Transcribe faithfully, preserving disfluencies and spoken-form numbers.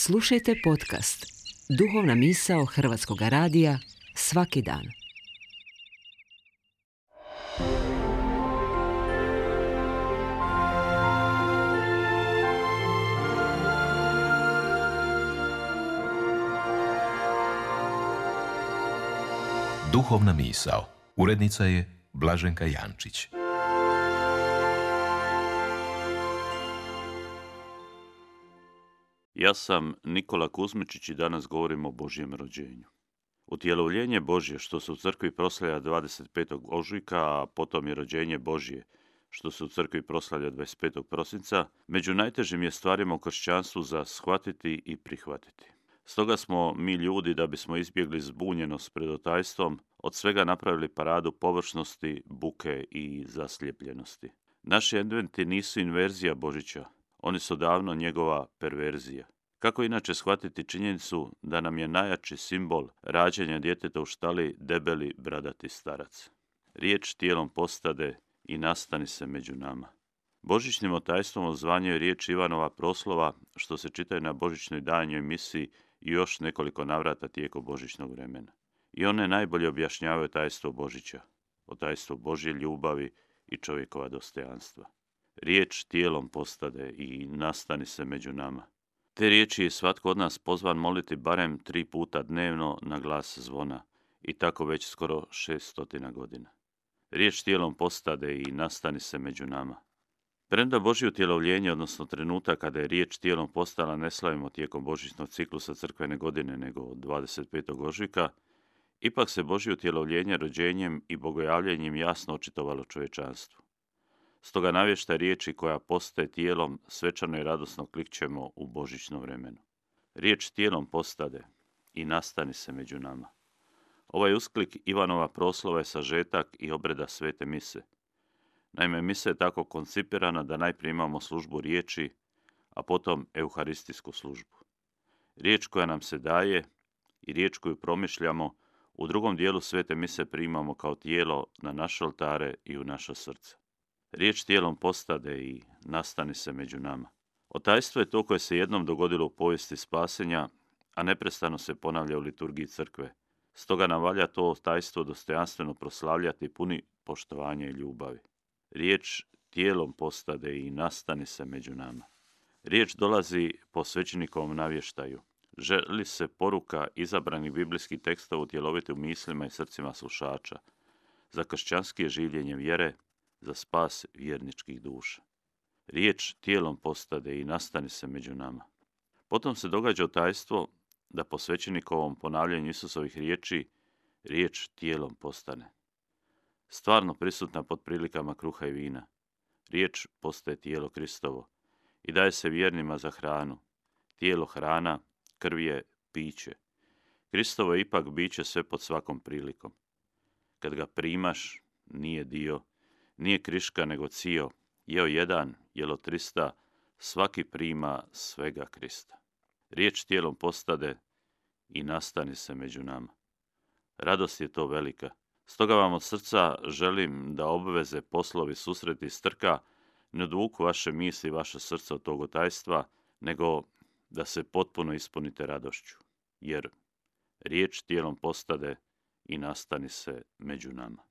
Slušajte podcast Duhovna misao Hrvatskog radija svaki dan. Duhovna misao. Urednica je Blaženka Jančić. Ja sam Nikola Kuzmičić i danas govorim o Božjem rođenju. Utjelovljenje Božje, što se u crkvi proslavlja dvadeset petog ožujka, a potom je rođenje Božje, što se u crkvi proslavlja dvadeset petog prosinca, među najtežim je stvarima u kršćanstvu za shvatiti i prihvatiti. Stoga smo mi ljudi, da bismo izbjegli zbunjenost pred otajstvom, od svega napravili paradu površnosti, buke i zaslijepljenosti. Naši adventi nisu inverzija Božića, oni su davno njegova perverzija. Kako inače shvatiti činjenicu da nam je najjači simbol rađanja djeteta u štali debeli bradati starac? Riječ tijelom postade i nastani se među nama. Božićnim otajstvom odzvanjuje riječ Ivanova proslova, što se čitaju na božićnoj danjoj misiji i još nekoliko navrata tijekom božićnog vremena. I one najbolje objašnjavaju tajstvo Božića, otajstvo Božje ljubavi i čovjekova dostojanstva. Riječ tijelom postade i nastani se među nama. Te riječi je svatko od nas pozvan moliti barem tri puta dnevno na glas zvona, i tako već skoro šest stotina godina. Riječ tijelom postade i nastani se među nama. Premda Božje utjelovljenje, odnosno trenutak kada je riječ tijelom postala, ne slavimo tijekom božićnog ciklusa crkvene godine, nego dvadeset petog ožujka, ipak se Božje utjelovljenje rođenjem i bogojavljenjem jasno očitovalo čovječanstvu. Stoga navještaj riječi koja postaje tijelom svečano i radosno klikćemo u božićno vremenu. Riječ tijelom postade i nastani se među nama. Ovaj usklik Ivanova proslova je sažetak i obreda svete mise. Naime, misa je tako koncipirana da najprije imamo službu riječi, a potom euharistijsku službu. Riječ koja nam se daje i riječ koju promišljamo u drugom dijelu svete mise primamo kao tijelo na naše oltare i u naša srca. Riječ tijelom postade i nastani se među nama. Otajstvo je to koje se jednom dogodilo u povijesti spasenja, a neprestano se ponavlja u liturgiji crkve. Stoga nam valja to otajstvo dostojanstveno proslavljati puni poštovanja i ljubavi. Riječ tijelom postade i nastani se među nama. Riječ dolazi po svećenikovom navještaju. Želi se poruka izabranih biblijskih tekstova utjeloviti u mislima i srcima slušača, za kršćanske življenje vjere, za spas vjerničkih duša. Riječ tijelom postade i nastani se među nama. Potom se događa otajstvo da po svećenikovom ponavljanju Isusovih riječi riječ tijelom postane. Stvarno prisutna pod prilikama kruha i vina. Riječ postaje tijelo Kristovo i daje se vjernima za hranu. Tijelo hrana, krv je piće. Kristovo je ipak biće sve pod svakom prilikom. Kad ga primaš, nije dio, nije kriška nego cio, jeo jedan, jelo trista, svaki prima svega Krista. Riječ tijelom postade i nastani se među nama. Radost je to velika. Stoga vam od srca želim da obveze, poslovi, susreti, strka ne odvuku vaše misli i vaše srce od tog otajstva, nego da se potpuno ispunite radošću. Jer riječ tijelom postade i nastani se među nama.